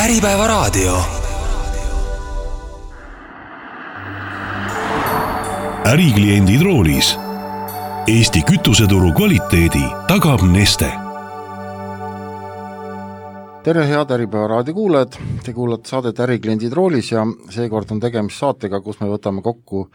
Äripäevaraadio. Ärikliendid roolis. Eesti kütuseturu kvaliteedi tagab Neste. Tere head Äripäevaraadio kuulajad, te kuulate saadet Ärikliendid roolis ja seekord on tegemist saatega, kus me võtame kokku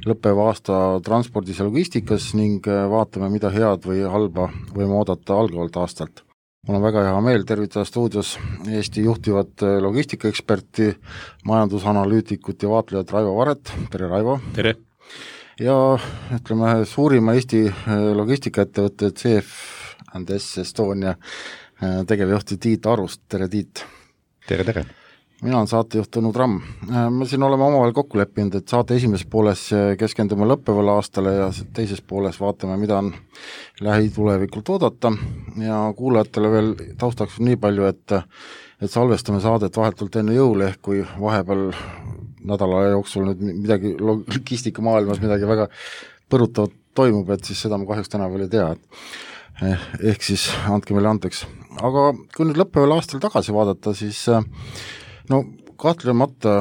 lõppeva aasta transpordis ja logistikas ning vaatame, mida head või halba võime oodata algavalt aastalt. Mul on väga hea meel tervitada stuudios Eesti juhtivat logistikaeksperti, majandusanalüütikut ja vaatlejat Raivo Varet. Tere Raivo! Tere! Ja ütleme suurima Eesti logistikaettevõtte CF&S Estonia tegevjuhti Tiit Arust. Tere Tiit! Tere! Mina olen saatejuht Tõnu Tramm. Me siin oleme omavahel kokku leppinud, et saate esimeses pooles keskendume lõppevale aastale ja teises pooles vaatame, mida on lähitulevikult oodata ja kuulajatele veel taustaks nii palju, et salvestame saadet vahetult enne jõule, ehk kui vahepeal nädala jooksul nüüd midagi logistika maailmas midagi väga põrutavat toimub, et siis seda ma kahjuks täna veel ei tea, ehk siis andke meile andeks. Aga kui nüüd lõppeval aastal tagasi vaadata, siis no kahtlemata,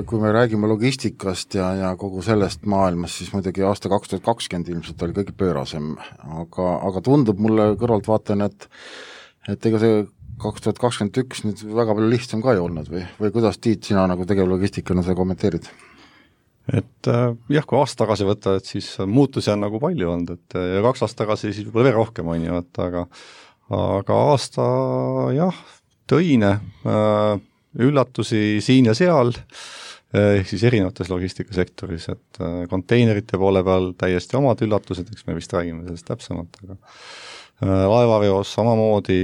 kui me räägime logistikast ja kogu sellest maailmas, siis muidugi aasta 2020 ilmselt oli kõige pöörasem, aga tundub mulle kõrvalt vaatan, et ega see 2021 nüüd väga palju lihtsam ka ei olnud või kuidas Tiit, sina nagu tegevlogistikana seda kommenteerid? Et jah, kui aasta tagasi võtta, et siis muutusi on nagu palju olnud, et ja 2 aastat tagasi siis võib veel rohkem on ju, aga aasta jah, tõine üllatusi siin ja seal, ehk siis erinevates logistikasektoris, et konteinerite poole peal täiesti omad üllatused, eks me vist räägime sellest täpsemalt, aga laevaveos samamoodi,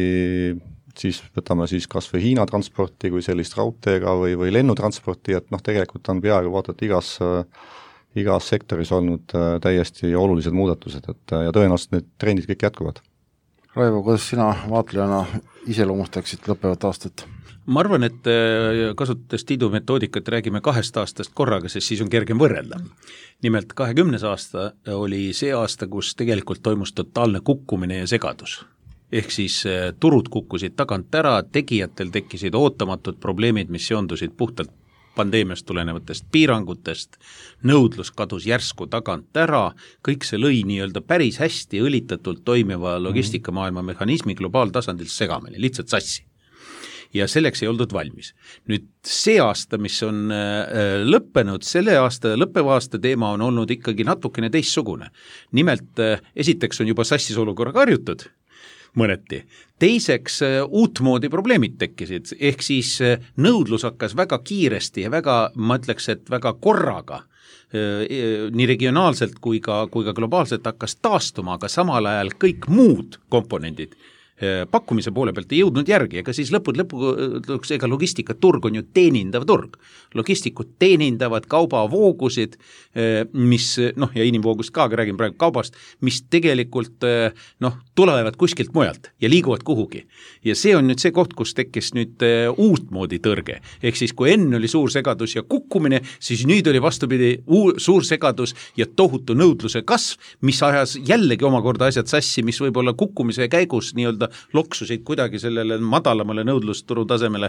siis võtame siis kas või Hiina transporti kui sellist raudteega või lennutransporti, et tegelikult on peaaegu vaatad igas sektoris olnud täiesti olulised muudatused, ja tõenäoliselt need trendid kõik jätkuvad. Raivo, kuidas sina vaatlejana iseloomustaksid lõppevat aastat? Ma arvan, et kasutades Tiidu metoodikat räägime 2 aastast korraga, sest siis on kergem võrrelda. Nimelt 20. aasta oli see aasta, kus tegelikult toimus totaalne kukkumine ja segadus. Ehk siis turud kukkusid tagant ära, tegijatel tekkisid ootamatud probleemid, mis seondusid puhtalt pandeemiast tulenevatest piirangutest, nõudlus kadus järsku tagant ära, kõik see lõi nii-öelda päris hästi õlitatult toimiva logistikamaailma mehhanismi globaaltasandil segamini, lihtsalt sassi. Ja selleks ei oldud valmis. Nüüd see aasta, mis on lõppenud, selle aasta, lõppeva aasta teema on olnud ikkagi natukene teistsugune. Nimelt, esiteks on juba sassis olukorraga harjutud, mõneti. Teiseks, uutmoodi probleemid tekkisid, ehk siis nõudlus hakkas väga kiiresti ja väga, ma ütleks, et väga korraga, nii regionaalselt kui ka globaalselt hakkas taastuma, aga samal ajal kõik muud komponendid pakkumise poole pealt ei jõudnud järgi, ega siis lõpuks ega logistikaturg on ju teenindav turg. Logistikud teenindavad kaubavoogusid, mis, ja inimvoogust ka, aga räägin praegu kaubast, mis tegelikult tulevad kuskilt mujalt ja liiguvad kuhugi. Ja see on nüüd see koht, kus tekkis nüüd uutmoodi tõrge. Ehk siis, kui enne oli suur segadus ja kukkumine, siis nüüd oli vastupidi suur segadus ja tohutu nõudluse kasv, mis ajas jällegi omakorda asjad sassi, mis võib olla kukkumise käigus nii-öelda loksusid kuidagi sellele madalamale nõudlusturu tasemele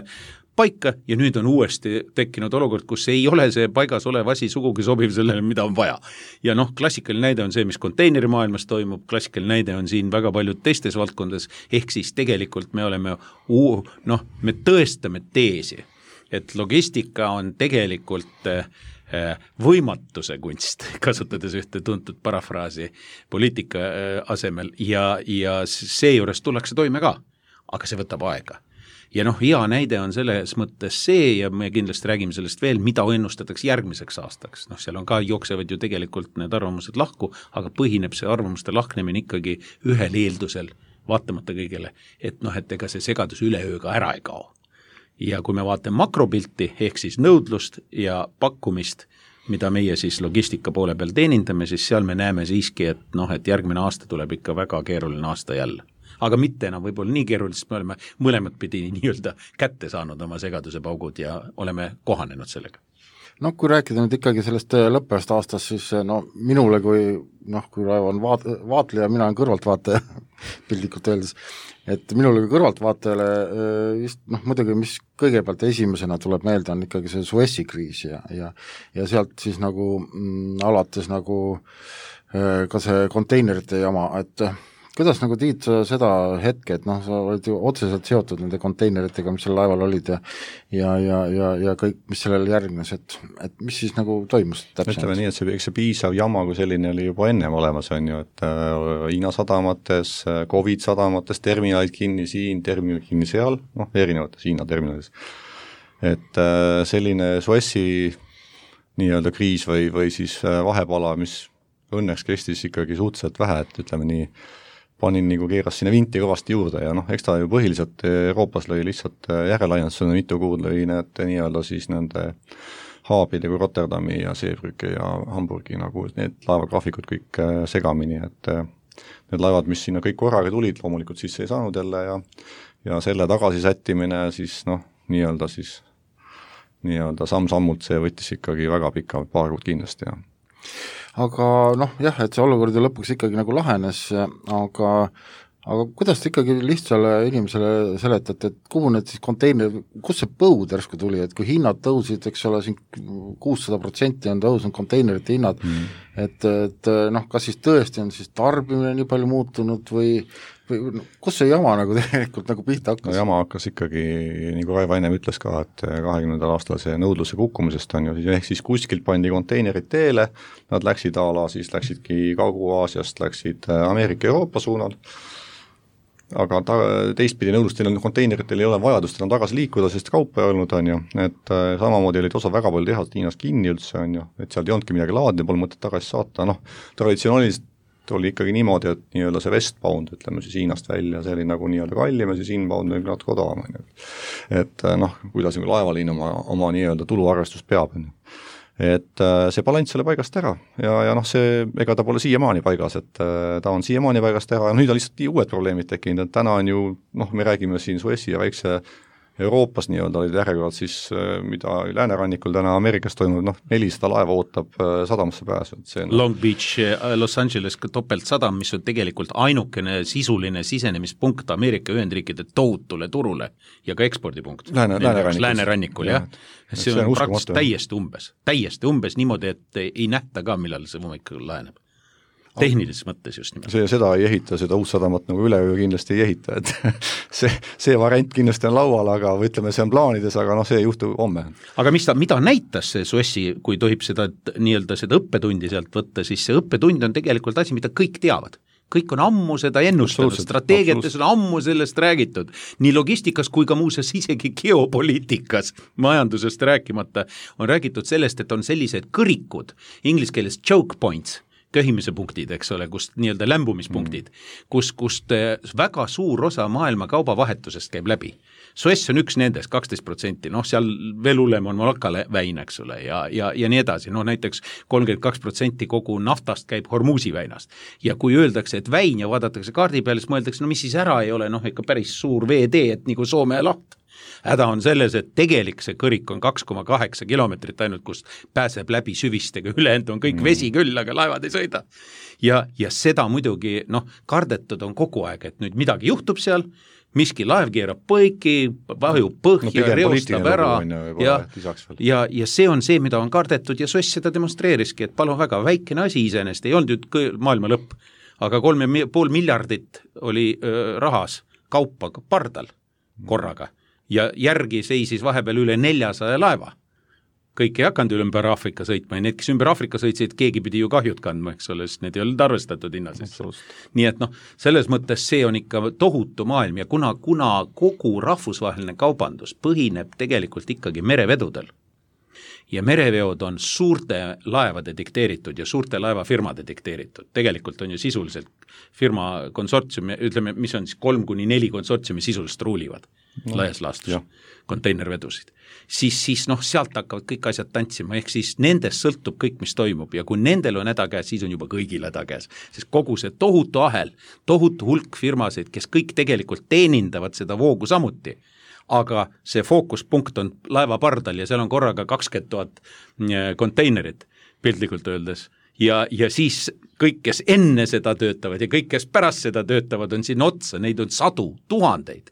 paika ja nüüd on uuesti tekkinud olukord, kus ei ole see paigas olev asi sugugi sobiv sellele, mida on vaja. Ja klassikaline näide on see, mis konteinerimaailmas toimub, klassikaline näide on siin väga paljud teistes valdkondades, ehk siis tegelikult me oleme, me tõestame teesi, et logistika on tegelikult võimatuse kunst, kasutades ühte tuntud parafraasi poliitika asemel ja seejuures tullakse toime ka, aga see võtab aega. Ja hea näide on selles mõttes see ja me kindlasti räägime sellest veel, mida ennustatakse järgmiseks aastaks. Seal on ka jooksevad ju tegelikult need arvamused lahku, aga põhineb see arvamuste lahknemine ikkagi ühel eeldusel, vaatamata kõigele, et ega see segadus üleööga ära ei kao. Ja kui me vaatame makropilti, ehk siis nõudlust ja pakkumist, mida meie siis logistika poole peal teenindame, siis seal me näeme siiski, et järgmine aasta tuleb ikka väga keeruline aasta jälle. Aga mitte enam võib-olla nii keeruliselt, me oleme mõlemad pidi nii-öelda kätte saanud oma segaduse paugud ja oleme kohanenud sellega. No kui rääkida nüüd ikkagi sellest lõppevast aastast, siis no minule kui Raivo on vaatleja, mina olen kõrvaltvaataja pildikult öeldes, et minule kui kõrvaltvaatajale vist muidugi, mis kõigepealt esimesena tuleb meelde, on ikkagi see Suessi kriis ja sealt siis nagu alates nagu ka see konteinerite jama, et kuidas nagu Tiit seda hetke, et sa olid ju otseselt seotud nende konteineritega, mis seal laeval olid ja kõik, mis sellele järgnes, et mis siis nagu toimus täpselt? Ütleme nii, et see piisav jama kui selline oli juba ennem olemas, on ju, et Hiina sadamates, Covid sadamates, terminalid kinni siin, terminalid kinni seal, erinevates Hiina terminalides. Et selline Suessi nii-öelda kriis või siis vahepala, mis õnneks kestis ikkagi suhteliselt vähe, et ütleme nii, panin nagu keeras sinna vinti kõvasti juurde ja eks ta ju põhiliselt Euroopas lõi lihtsalt järelaiendusena mitu kuud lõi need nii-öelda siis nende Haabide kui Rotterdami ja Seebrücke ja Hamburgi nagu need laevagraafikud kõik segamini, et need laevad, mis sinna kõik korraga tulid, loomulikult sisse ei saanud jälle ja selle tagasi sättimine siis nii-öelda samm-sammult see võttis ikkagi väga pika paar kuud kindlasti ja aga jah, et see olukord ju lõpuks ikkagi nagu lahenes, aga kuidas te ikkagi lihtsale inimesele seletate, et kuhu need siis konteiner, kus see põud järsku tuli, et kui hinnad tõusid, eks ole, siin 600% on tõusnud konteinerite hinnad, et kas siis tõesti on siis tarbimine nii palju muutunud või kus see jama nagu tegelikult nagu pihta hakkas? No jama hakkas ikkagi, nagu Raivo ennem ütles ka, et 20. aastal see nõudluse kukkumisest on ju, ehk siis kuskilt pandi konteinerid teele, nad läksid siis läksidki Kagu-Aasiast, läksid Ameerika-Euroopa suunal, aga teistpidi nõudlustel konteineritel ei ole vajadust enam tagasi liikuda, sest kaupa ei olnud, on ju, et samamoodi olid osa väga palju tehast Hiinas kinni üldse, on ju, et sealt ei olnudki midagi laadne, pole mõtet tagasi saata, traditsiooniliselt oli ikkagi niimoodi, et nii-öelda see westbound, ütleme siis Hiinast välja, see oli nagu nii-öelda kallim ja siis inbound oli natuke odavam, on ju. Et kuidas laevaliin oma nii-öelda tuluarvestust peab, on ju. Et see balanss oli paigast ära ja see, ega ta pole siiamaani paigas, et ta on siiamaani paigast ära ja nüüd on lihtsalt uued probleemid tekkinud, et täna on ju, me räägime siin Suessi ja väikse Euroopas nii-öelda olid järjekorrad siis, mida läänerannikul täna Ameerikas toimub, 400 laeva ootab sadamasse pääsu. Long Beach, Los Angeles topeltsadam, mis on tegelikult ainukene sisuline sisenemispunkt Ameerika Ühendriikide tohutule turule ja ka ekspordipunkt. Läänerannikul, jah. See on praktiliselt täiesti umbes niimoodi, et ei nähta ka, millal see hommikul laheneb. Tehnilises mõttes just nimelt. Seda ei ehita, seda uut sadamat nagu üleöö kindlasti ei ehita, et see variant kindlasti on laual, aga ütleme, see on plaanides, aga see ei juhtu homme. Aga mida näitas see Suessi, kui tohib seda nii-öelda seda õppetundi sealt võtta, siis see õppetund on tegelikult asi, mida kõik teavad. Kõik on ammu seda ennustanud, strateegiates on ammu sellest räägitud, nii logistikas kui ka muuseas isegi geopoliitikas, majandusest rääkimata, on räägitud sellest, et on sellised kõrikud, inglise keeles choke points, köhimise punktid, eks ole, kust nii-öelda lämbumispunktid, kust väga suur osa maailma kaubavahetusest käib läbi. Suess on üks nendest, 12%, seal veel hullem on Malacca väin, eks ole, ja nii edasi, näiteks 32% kogu naftast käib Hormuzi väinast. Ja kui öeldakse, et väin ja vaadatakse kaardi peale, siis mõeldakse, mis siis ära ei ole, ikka päris suur veetee, et nagu Soome laht. Häda on selles, et tegelik see kõrik on 2,8 kilomeetrit ainult, kus pääseb läbi süvistega, ülejäänud on kõik vesi küll, aga laevad ei sõida. Ja seda muidugi, kardetud on kogu aeg, et nüüd midagi juhtub seal, miski laev keerab põiki, vajub põhja, reostab ära ja see on see, mida on kardetud ja Suess seda demonstreeriski, et palun väga, väikene asi iseenesest, ei olnud nüüd maailma lõpp, aga 3,5 miljardit oli rahas kaupa pardal korraga. Ja järgi seisis vahepeal üle 400 laeva. Kõik ei hakanud ümber Aafrika sõitma ja need, kes ümber Aafrika sõitsid, keegi pidi ju kahjud kandma, eks ole, sest need ei olnud arvestatud hinnases. Nii et selles mõttes see on ikka tohutu maailm ja kuna kogu rahvusvaheline kaubandus põhineb tegelikult ikkagi merevedudel ja mereveod on suurte laevade dikteeritud ja suurte laevafirmade dikteeritud, tegelikult on ju sisuliselt firma konsortsiumi, ütleme, mis on siis 3-4 konsortsiumi sisuliselt ruulivad laias laastus, konteinervedusid, siis sealt hakkavad kõik asjad tantsima, ehk siis nendest sõltub kõik, mis toimub ja kui nendel on häda käes, siis on juba kõigil häda käes, sest kogu see tohutu ahel, tohutu hulk firmasid, kes kõik tegelikult teenindavad seda voogu samuti, aga see fookuspunkt on laeva pardal ja seal on korraga 20 000 konteinerit piltlikult öeldes ja siis kõik, kes enne seda töötavad ja kõik, kes pärast seda töötavad, on siin otsa, neid on sadu, tuhandeid.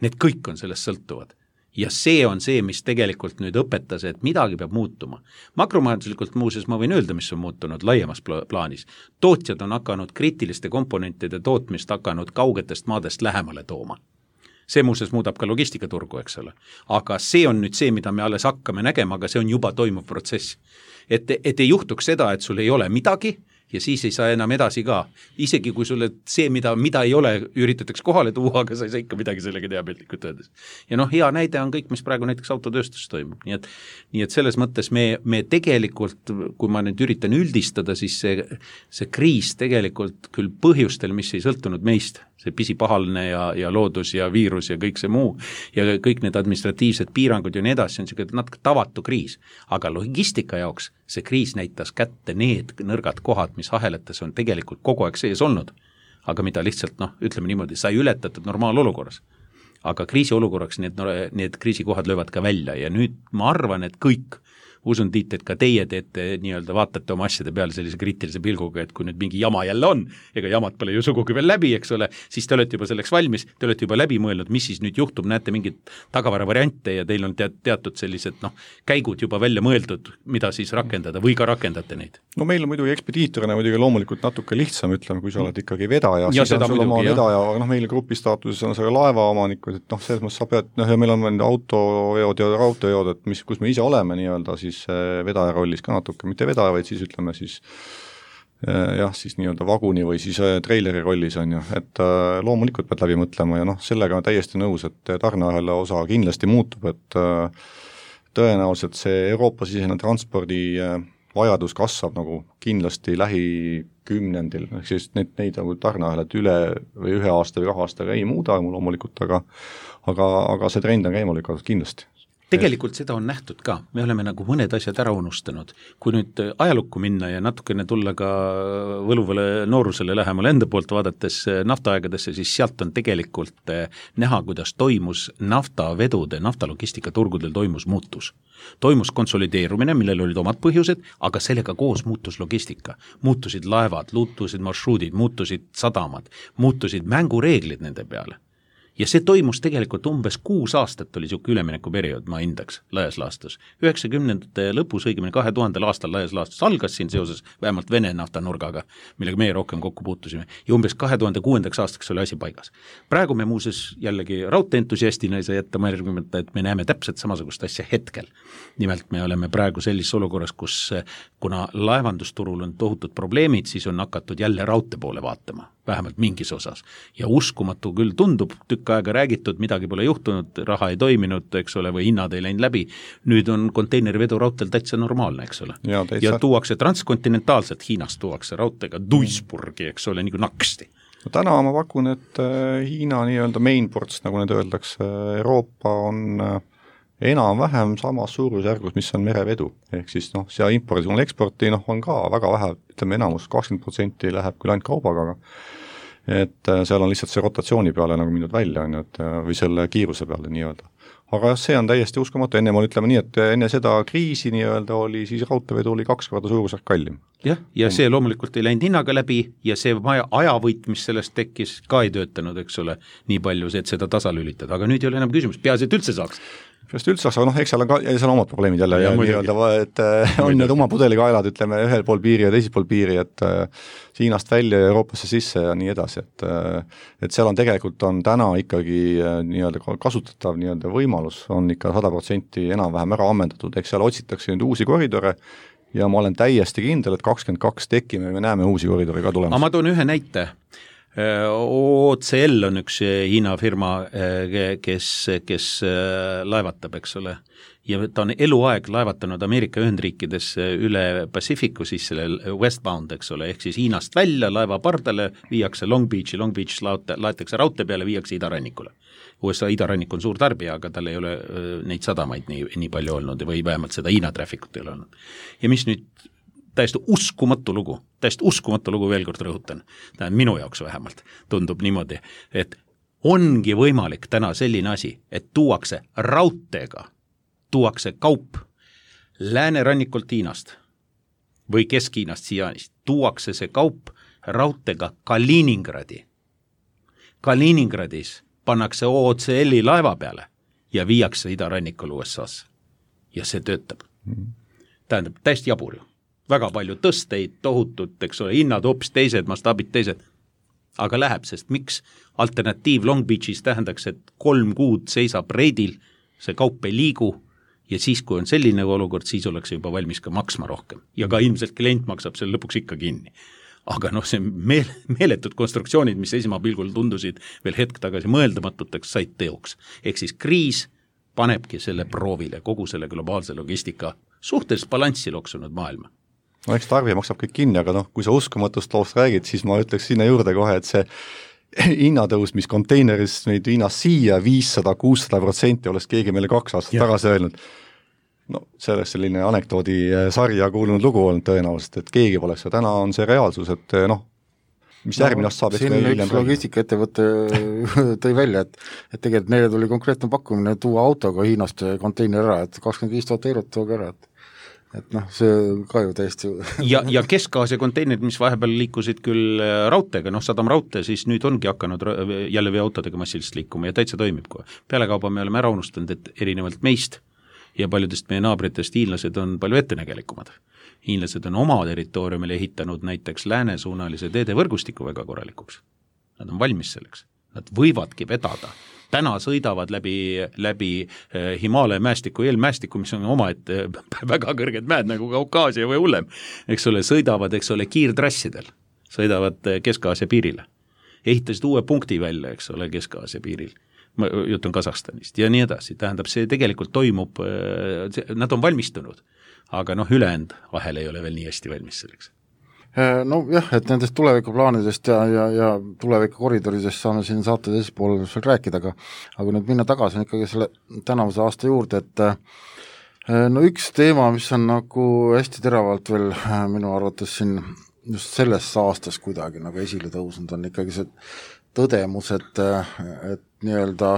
Need kõik on sellest sõltuvad. Ja see on see, mis tegelikult nüüd õpetas, et midagi peab muutuma. Makromajanduslikult muuseas ma võin öelda, mis on muutunud laiemas plaanis. Tootjad on hakanud kriitiliste komponentide tootmist hakanud kaugetest maadest lähemale tooma. See muuseas muudab ka logistikaturgu, eks ole. Aga see on nüüd see, mida me alles hakkame nägema, aga see on juba toimuv protsess. Et ei juhtuks seda, et sul ei ole midagi, ja siis ei saa enam edasi ka. Isegi kui sulle see, mida ei ole, üritatakse kohale tuua, aga sa ei saa ikka midagi sellega teha piltlikult öeldes. Ja hea näide on kõik, mis praegu näiteks autotööstus toimub. Nii et selles mõttes me tegelikult, kui ma nüüd üritan üldistada, siis see kriis tegelikult küll põhjustel, mis ei sõltunud meist, see pisipahalne ja loodus ja viirus ja kõik see muu ja kõik need administratiivsed piirangud ja nii edasi, on selline natuke tavatu kriis. Aga logistika jaoks see kriis näitas kätte need nõrgad kohad, mis ahelates on tegelikult kogu aeg sees olnud, aga mida lihtsalt, ütleme niimoodi, sai ületatud normaalolukorras. Aga kriisiolukorraks need kriisikohad löövad ka välja ja nüüd ma arvan, et kõik, usun Tiit, et ka teie teete nii-öelda vaatate oma asjade peale sellise kriitilise pilguga, et kui nüüd mingi jama jälle on, ega jamad pole ju sugugi veel läbi, eks ole, siis te olete juba selleks valmis, te olete juba läbi mõelnud, mis siis nüüd juhtub, näete mingit tagavara variante ja teil on teatud sellised käigud juba välja mõeldud, mida siis rakendada või ka rakendate neid? No meil on muidugi ekspediitorina muidugi loomulikult natuke lihtsam, ütleme, kui sa oled ikkagi vedaja, ja siis on sul oma vedaja, aga meil grupi staatuses on see laevaomanikud, et selles mõttes sa pead, ja meil on autoveod ja raudteeveod, et kus me ise oleme nii-öelda siis vedaja rollis ka natuke, mitte vedaja, vaid siis ütleme siis siis nii-öelda vaguni või siis treileri rollis on ju, et loomulikult pead läbi mõtlema ja sellega on täiesti nõus, et tarneahela osa kindlasti muutub, et tõenäoliselt see Euroopa-sisene transpordi vajadus kasvab nagu kindlasti lähikümnendil, ehk siis neid nagu tarneahelat üle või 1 aasta või 2 aastaga ei muuda loomulikult, aga see trend on käima lükatud kindlasti. Tegelikult seda on nähtud ka, me oleme nagu mõned asjad ära unustanud. Kui nüüd ajalukku minna ja natukene tulla ka võluvale noorusele lähemale enda poolt vaadates naftaaegadesse, siis sealt on tegelikult näha, kuidas toimus naftavedude, naftalogistika-turgudel toimus muutus. Toimus konsolideerumine, millel olid omad põhjused, aga sellega koos muutus logistika. Muutusid laevad, muutusid marsruudid, muutusid sadamad, muutusid mängureeglid nende peale. Ja see toimus tegelikult umbes 6 aastat oli siuke üleminekuperiood, ma hindaks laias laastus. 90ndate lõpus, õigemini 2000. aastal laias laastus algas siin seoses vähemalt Vene naftanurgaga, millega meie rohkem kokku puutusime, ja umbes 2006. aastaks oli asi paigas. Praegu me muuseas jällegi raudteentusiastina ei saa jätta märgimata, et me näeme täpselt samasugust asja hetkel. Nimelt me oleme praegu sellises olukorras, kus kuna laevandusturul on tohutud probleemid, siis on hakatud jälle raudtee poole vaatama, vähemalt mingis osas. Ja uskumatu küll tundub, tükk aega räägitud, midagi pole juhtunud, raha ei toiminud, eks ole, või hinnad ei läinud läbi. Nüüd on konteinerivedu raudteel täitsa normaalne, eks ole. Ja tuuakse transkontinentaalselt, Hiinast tuuakse raudteega Duisburgi, eks ole, nagu naksti. No täna ma pakun, et Hiina nii-öelda mainports, nagu need öeldakse, Euroopa on enam-vähem samas suurusjärgus, mis on merevedu. Ehk siis see impordi, eksporti on ka väga vähe, ütleme enamus, 20% läheb küll ainult kaubaga, et seal on lihtsalt see rotatsiooni peale nagu mindud välja, või selle kiiruse peale nii-öelda. Aga see on täiesti uskumatu, enne ma ütleme nii, et enne seda kriisi nii-öelda oli, siis raudteevedu oli 2 korda suurusjärk kallim. Jah, ja see loomulikult ei läinud hinnaga läbi ja see ajavõit, mis sellest tekkis, ka ei töötanud, eks ole, nii palju, et seda tasalülitada, aga nüüd ei ole enam küsimus, peaasi, et üldse saaks. Üldse saaks, aga eks seal on ka seal omad probleemid jälle ja nii-öelda, et on need oma pudelikaelad, ütleme, ühel pool piiri ja teisel pool piiri, et Hiinast välja ja Euroopasse sisse ja nii edasi, et seal on tegelikult on täna ikkagi nii-öelda kasutatav nii-öelda võimalus on ikka 100% enam-vähem ära ammendatud, eks seal otsitakse nüüd uusi koridore ja ma olen täiesti kindel, et 22 tekime, me näeme uusi koridori ka tulemas. Ma toon ühe näite. OCL on üks Hiina firma, kes laevatab, eks ole, ja ta on eluaeg laevatanud Ameerika Ühendriikides üle Pacificu, siis selle westbound, eks ole, ehk siis Hiinast välja laeva pardale viiakse Long Beach laetakse raudtee peale, viiakse idarannikule. USA idarannik on suur tarbija, aga tal ei ole neid sadamaid nii palju olnud või vähemalt seda Hiina traffikut ei ole olnud. Ja mis nüüd täiesti uskumatu lugu veel kord rõhutan, minu jaoks vähemalt tundub niimoodi, et ongi võimalik täna selline asi, et tuuakse raudteega, tuuakse kaup Läänerannikult Hiinast või Kesk-Hiinast Siianist, tuuakse see kaup raudteega Kaliningradi. Kaliningradis pannakse OCL-i laeva peale ja viiakse idarannikul USA-sse. Ja see töötab. Tähendab, täiesti jabur ju. Väga palju tõsteid, tohutut, eks ole, hinnad hoopis teised, mastaabid teised. Aga läheb, sest miks alternatiiv Long Beachis tähendaks, et 3 kuud seisab reidil, see kaup ei liigu ja siis, kui on selline olukord, siis oleks juba valmis ka maksma rohkem. Ja ka ilmselt klient maksab selle lõpuks ikka kinni. Aga noh, see meeletud konstruktsioonid, mis esmapilgul tundusid veel hetk tagasi mõeldamatuteks, said teoks. Ehk siis kriis panebki selle proovile, kogu selle globaalse logistika suhteliselt balanssi loksunud maailma. No eks tarbija maksab kõik kinni, aga noh, kui sa uskumatust loost räägid, siis ma ütleks sinna juurde kohe, et see hinnatõus, mis konteineris meid Hiinast siia 500-600% oleks keegi meile 2 aastat tagasi öelnud. No see oleks selline anekdoodi sarja kuulunud lugu olnud tõenäoliselt, et keegi poleks ja täna on see reaalsus, et noh, mis järgmine aasta saab, siin üks logistikaettevõte tõi välja, et tegelikult neile tuli konkreetne pakkumine tuua autoga Hiinast konteiner ära, et 25 000 eurot tooga ära, et noh, see ka ju täiesti ja Kesk-Aasia konteinerid, mis vahepeal liikusid küll raudteega, noh, Sadam raudtee, siis nüüd ongi hakanud jälle veoautodega massilist liikuma ja täitsa toimib kohe. Pealekauba me oleme ära unustanud, et erinevalt meist ja paljudest meie naabritest hiinlased on palju ettenägelikumad. Hiinlased on oma territooriumile ehitanud näiteks läänesuunalise teedevõrgustiku väga korralikuks. Nad on valmis selleks. Nad võivadki vedada. Täna sõidavad läbi Himaalaja mäestiku, eelmäestiku, mis on omaette väga kõrged mäed nagu Kaukaasia või hullem. Eks ole, sõidavad, eks ole, kiirtrassidel. Sõidavad Kesk-Aasia piirile. Ehitasid uue punkti välja, eks ole, Kesk-Aasia piiril. Jutt on Kasahstanist ja nii edasi, tähendab, see tegelikult toimub, nad on valmistunud, aga noh, ülejäänud vahel ei ole veel nii hästi valmis selleks. No jah, et nendest tulevikuplaanidest ja tulevikukoridoridest saame siin saate teises pool rääkida, aga nüüd minna tagasi ikkagi selle tänavuse aasta juurde, et no üks teema, mis on nagu hästi teravalt veel minu arvates siin just selles aastas kuidagi nagu esile tõusnud, on ikkagi see tõdemus, et nii-öelda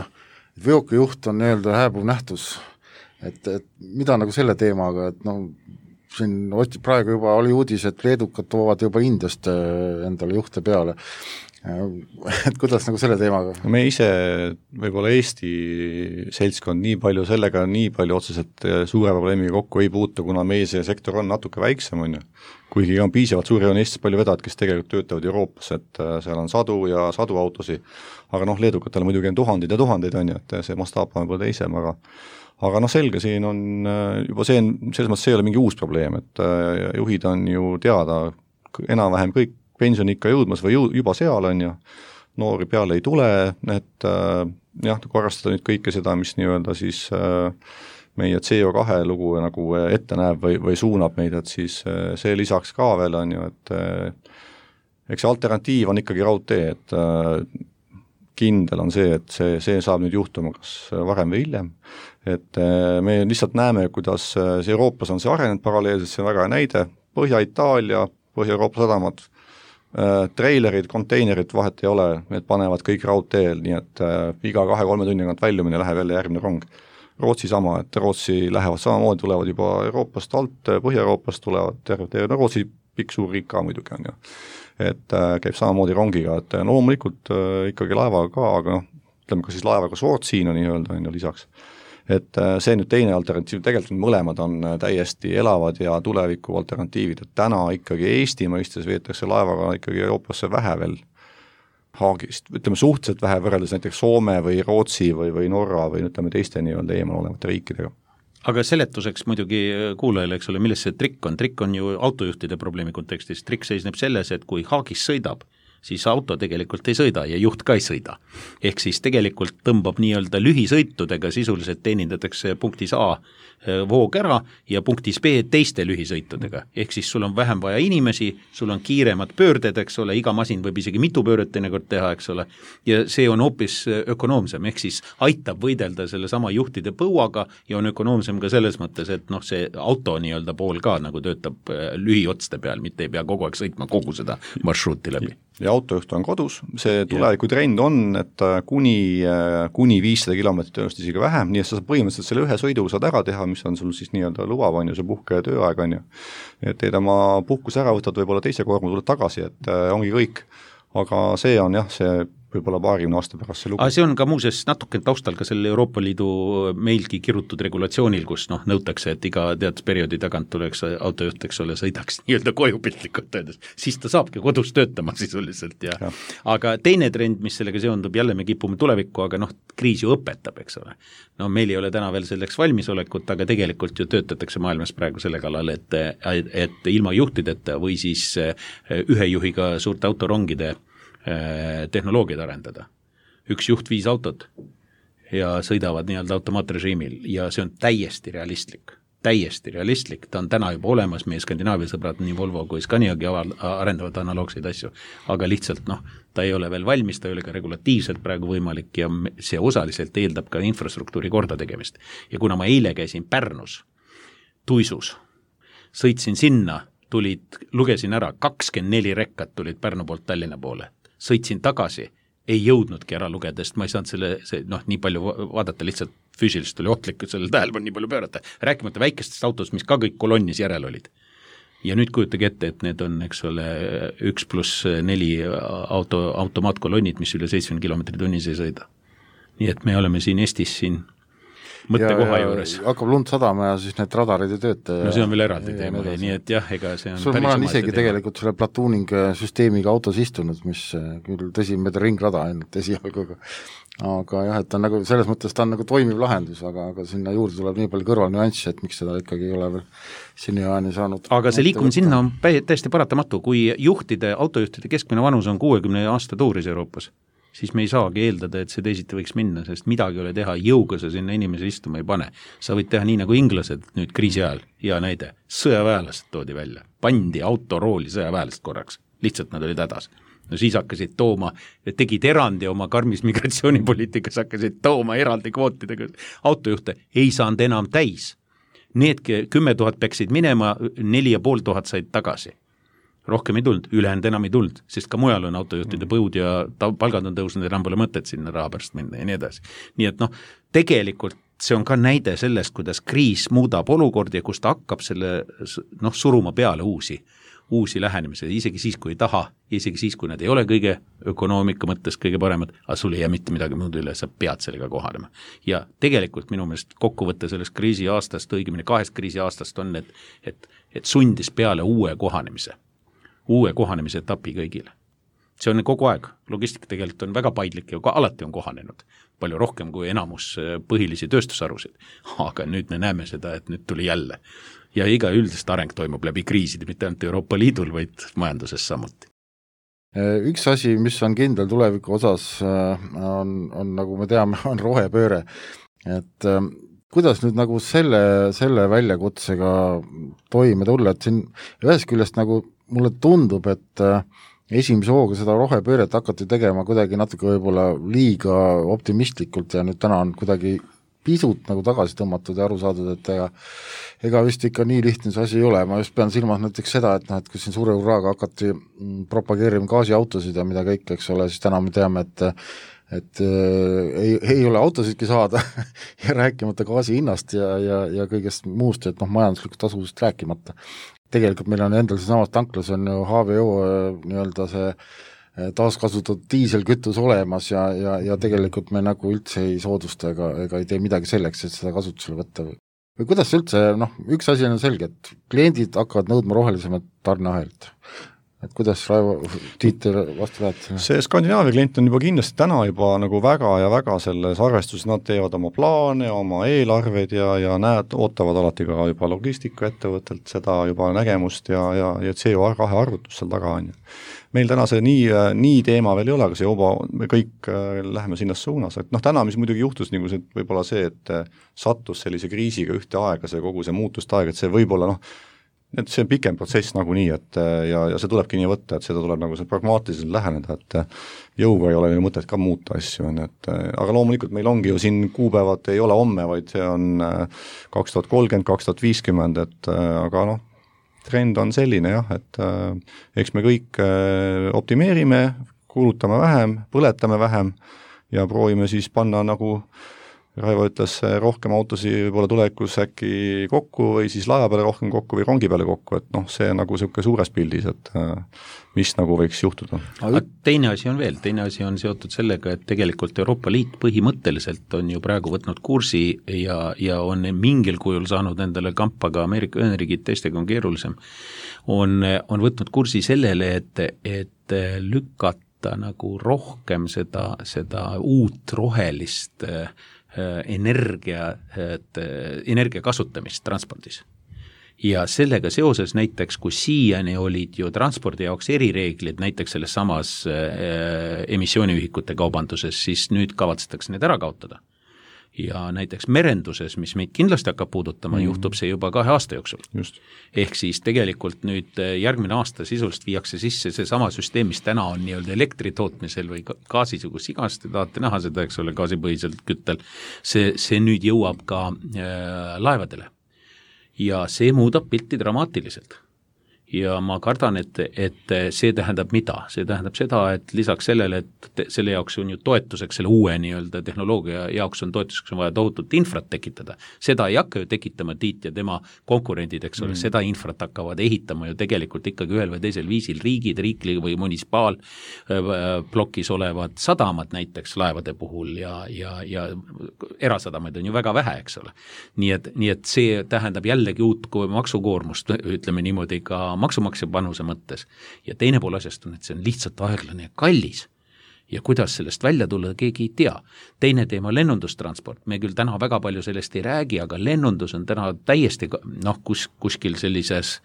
veokijuht on nii-öelda hääbuv nähtus, et mida nagu selle teemaga, et no siin praegu juba oli uudis, et leedukad toovad juba Indiast endale juhte peale, et kuidas nagu selle teemaga? Me ise võib-olla Eesti seltskond nii palju sellega, nii palju otseselt suure probleemiga kokku ei puutu, kuna meie see sektor on natuke väiksem, on ju. Kuigi on piisavalt suuri, on Eestis palju vedajad, kes tegelikult töötavad Euroopas, et seal on sadu ja sadu autosi, aga noh, leedukatel muidugi on tuhandeid ja tuhandeid, on ju, et see mastaap on võib-olla teisem, aga noh, selge, siin on juba see, selles mõttes see ei ole mingi uus probleem, et juhid on ju teada, enam-vähem kõik pensioniikka jõudmas või juba seal on ju, noori peale ei tule, et jah, kui arvestada nüüd kõike seda, mis nii-öelda siis meie CO2 lugu nagu ette näeb või suunab meid, et siis see lisaks ka veel on ju, et eks see alternatiiv on ikkagi raudtee, et kindel on see, et see saab nüüd juhtuma kas varem või hiljem, et me lihtsalt näeme, kuidas see Euroopas on see arenenud paralleelselt, see on väga näide, Põhja-Itaalia, Põhja-Euroopa sadamad, treilerid, konteinerid vahet ei ole, need panevad kõik raudteel, nii et iga 2-3 tunni tagant väljumine läheb jälle järgmine rong. Rootsi sama, et Rootsi lähevad samamoodi, tulevad juba Euroopast alt, Põhja-Euroopast tulevad terve, no Rootsi pikk suur riik ka muidugi on ju, et käib samamoodi rongiga, et no loomulikult ikkagi laevaga ka, aga noh, ütleme ka siis laevaga Sootsiina nii-öelda on ju lisaks. Et see nüüd teine alternatiiv, tegelikult mõlemad on täiesti elavad ja tuleviku alternatiivid, et täna ikkagi Eesti mõistes veetakse laevaga ikkagi Euroopasse vähe veel Haagist, ütleme suhteliselt vähe võrreldes näiteks Soome või Rootsi või Norra või ütleme teiste nii-öelda eemal olevate riikidega. Aga seletuseks muidugi kuulajale, eks ole, milles see trikk on ju autojuhtide probleemi kontekstis, trikk seisneb selles, et kui Haagis sõidab, siis auto tegelikult ei sõida ja juht ka ei sõida. Ehk siis tegelikult tõmbab nii-öelda lühisõitudega sisuliselt teenindatakse punktis A voog ära ja punktis B teiste lühisõitudega. Ehk siis sul on vähem vaja inimesi, sul on kiiremad pöörded, eks ole, iga masin võib isegi mitu pööret teinekord teha, eks ole, ja see on hoopis ökonoomsem, ehk siis aitab võidelda selle sama juhtide põuaga ja on ökonoomsem ka selles mõttes, et noh, see auto nii-öelda pool ka nagu töötab lühiotste peal, mitte ei pea kogu aeg sõitma kogu seda marsruuti läbi. ja autojuht on kodus, see tulevikutrend on, et kuni 500 kilomeetrit tõenäoliselt isegi vähem, nii et sa saad põhimõtteliselt selle ühe sõidu saad ära teha, mis on sul siis nii-öelda lubav, on ju, see puhke ja tööaeg, on ju. Et teed oma puhkuse ära, võtad võib-olla teise korma, tuled tagasi, et ongi kõik. Aga see on jah, see võib-olla 20 aasta pärast see lugu. Aga see on ka muuseas natuke taustal ka selle Euroopa Liidu meilgi kirutud regulatsioonil, kus nõutakse, et iga teatud perioodi tagant tuleks autojuht, eks ole, sõidaks nii-öelda koju piltlikult öeldes, siis ta saabki kodus töötama sisuliselt ja. Aga teine trend, mis sellega seondub, jälle me kipume tulevikku, aga kriis ju õpetab, eks ole. Meil ei ole täna veel selleks valmisolekut, aga tegelikult ju töötatakse maailmas praegu selle kallal, et ilma juhtideta või siis ühe juhiga suurte autorongide tehnoloogiad arendada. Üks juht 5 autot ja sõidavad nii-öelda automaatrežiimil ja see on täiesti realistlik, ta on täna juba olemas, meie Skandinaavia sõbrad, nii Volvo kui Scaniagi arendavad analoogseid asju, aga lihtsalt ta ei ole veel valmis, ta ei ole ka regulatiivselt praegu võimalik ja see osaliselt eeldab ka infrastruktuuri korda tegemist. Ja kuna ma eile käisin Pärnus, Tuisus, sõitsin sinna, lugesin ära, 24 rekkat tulid Pärnu poolt Tallinna poole. Sõitsin tagasi, ei jõudnudki ära lugeda, sest ma ei saanud nii palju vaadata, lihtsalt füüsiliselt oli ohtlik, sellel tähelepanu nii palju pöörata, rääkimata väikestest autost, mis ka kõik kolonnis järel olid. Ja nüüd kujutage ette, et need on, eks ole, 1+4 automaatkolonnid, mis üle 70 kilomeetri tunnis ei sõida. Nii et me oleme siin Eestis mõttekoha juures. Hakkab lund sadama ja siis need radarid ei tööta. No see on veel eraldi teema, nii et jah, ega see on päris ma olen isegi tegelikult selle platooning süsteemiga autos istunud, mis küll tõsi mööda ringrada ainult esialgu, aga jah, et ta on nagu, selles mõttes ta on nagu toimiv lahendus, aga sinna juurde tuleb nii palju kõrvalnüanssi, et miks seda ikkagi ei ole veel seniajani saanud. Aga see liikumine sinna on täiesti paratamatu, kui autojuhtide keskmine vanus on 60 aasta tuuris Euroopas, siis me ei saagi eeldada, et see teisiti võiks minna, sest midagi ole teha, jõuga sa sinna inimese istuma ei pane. Sa võid teha nii nagu inglased nüüd kriisi ajal, ja näide, sõjaväelased toodi välja, pandi autorooli sõjaväelast korraks, lihtsalt nad olid hädas. No siis hakkasid tooma, tegid erandi oma karmis migratsioonipoliitikas, hakkasid tooma eraldi kvootidega, autojuhte ei saanud enam täis. Need 10 000 peksid minema, 4500 said tagasi. Rohkem ei tulnud, ülejäänud enam ei tulnud, sest ka mujal on autojuhtide põud ja palgad on tõusnud, enam pole mõtet sinna raha pärast minna ja nii edasi. Nii et tegelikult see on ka näide sellest, kuidas kriis muudab olukordi ja kus ta hakkab selle suruma peale uusi lähenemise, isegi siis, kui ei taha, isegi siis, kui nad ei ole kõige ökonoomika mõttes kõige paremad, aga sul ei jää mitte midagi muud üle, sa pead sellega kohanema. Ja tegelikult minu meelest kokkuvõtte sellest kriisi aastast, õigemini 2 kriisi aastast on, et sundis peale uue kohanemise etapi kõigile. See on kogu aeg, logistika tegelikult on väga paindlik ja alati on kohanenud, palju rohkem kui enamus põhilisi tööstusharusid, aga nüüd me näeme seda, et nüüd tuli jälle. Ja iga üldist areng toimub läbi kriiside, mitte ainult Euroopa Liidul, vaid majanduses samuti. Üks asi, mis on kindel tuleviku osas, on nagu me teame, on rohepööre. Et kuidas nüüd nagu selle väljakutsega toime tulla, et siin ühes küljest nagu mulle tundub, et esimese hooga seda rohepööret hakati tegema kuidagi natuke võib-olla liiga optimistlikult ja nüüd täna on kuidagi pisut nagu tagasi tõmmatud ja aru saadud, et ega vist ikka nii lihtne see asi ei ole. Ma just pean silmas näiteks seda, et kui siin suure uraaga hakati propageerima gaasiautosid ja mida kõik, eks ole, siis täna me teame, et ei ole autosidki saada ja rääkimata gaasi hinnast ja kõigest muust, et majanduslikult tasuvust rääkimata. Tegelikult meil on endal samas tanklas on ju HVO nii-öelda see taaskasutatud diiselkütus olemas ja tegelikult me nagu üldse ei soodusta ega ei tee midagi selleks, et seda kasutusele võtta. Või kuidas üldse, üks asi on selge, et kliendid hakkavad nõudma rohelisemat tarneahelit. Et kuidas Raivo Tiiter vastu räätid? See Skandinaavia klient on juba kindlasti täna juba nagu väga ja väga selles arvestuses, nad teevad oma plaane, oma eelarved ja ootavad alati ka juba logistikaettevõttelt seda juba nägemust ja CO2 arvutust seal taga on. Meil täna see nii teema veel ei ole, aga see juba me kõik läheme sinnas suunas. Et täna, mis muidugi juhtus, nagu see, võib-olla see, et sattus sellise kriisiga ühte aega, see kogu see muutust aeg, et see võib-olla et see on pikem protsess nagunii, et ja see tulebki nii võtta, et seda tuleb nagu pragmaatiliselt läheneda, et jõuga ei ole mõtet ka muuta asju, aga loomulikult meil ongi ju siin kuupäevad ei ole homme, vaid see on 2030, 2050, et aga trend on selline jah, et eks me kõik optimeerime, kulutame vähem, põletame vähem ja proovime siis panna nagu Raivo ütles, rohkem autosi võib-olla tulevikus äkki kokku või siis laeva peale rohkem kokku või rongi peale kokku, et noh, see nagu niisugune suures pildis, et mis nagu võiks juhtuda. Teine asi on veel, teine asi on seotud sellega, et tegelikult Euroopa Liit põhimõtteliselt on ju praegu võtnud kursi ja on mingil kujul saanud endale kampa ka Ameerika Ühendriigid, teistega on keerulisem, on võtnud kursi sellele, et lükata nagu rohkem seda uut rohelist energia kasutamist transpordis. Ja sellega seoses näiteks, kui siiani olid ju transpordi jaoks erireeglid näiteks selles samas emissiooniühikute kaubanduses, siis nüüd kavatsetakse need ära kaotada. Ja näiteks merenduses, mis meid kindlasti hakkab puudutama, juhtub see juba 2 aasta jooksul. Just. Ehk siis tegelikult nüüd järgmine aasta sisuliselt viiakse sisse see sama süsteem, mis täna on nii-öelda elektri tootmisel või gaasis, kus igast te tahate näha seda, eks ole, gaasipõhiselt küttel, see nüüd jõuab ka laevadele. Ja see muudab pilti dramaatiliselt. Ja ma kardan, et see tähendab mida? See tähendab seda, et lisaks sellele, et selle jaoks on ju toetuseks, selle uue nii-öelda tehnoloogia jaoks on toetuseks on vaja tohutut infrat tekitada. Seda ei hakka ju tekitama Tiit ja tema konkurendid, eks ole, seda infrat hakkavad ehitama ju tegelikult ikkagi ühel või teisel viisil riigid, riikli või munisipaalplokis olevad sadamad näiteks laevade puhul ja erasadamaid on ju väga vähe, eks ole. Nii et see tähendab jällegi uut maksukoormust, ütleme niimoodi ka maksumaksja panuse mõttes. Ja teine pool asjast on, et see on lihtsalt aeglane ja kallis. Ja kuidas sellest välja tulla, keegi ei tea. Teine teema lennundustransport. Me küll täna väga palju sellest ei räägi, aga lennundus on täna täiesti kuskil sellises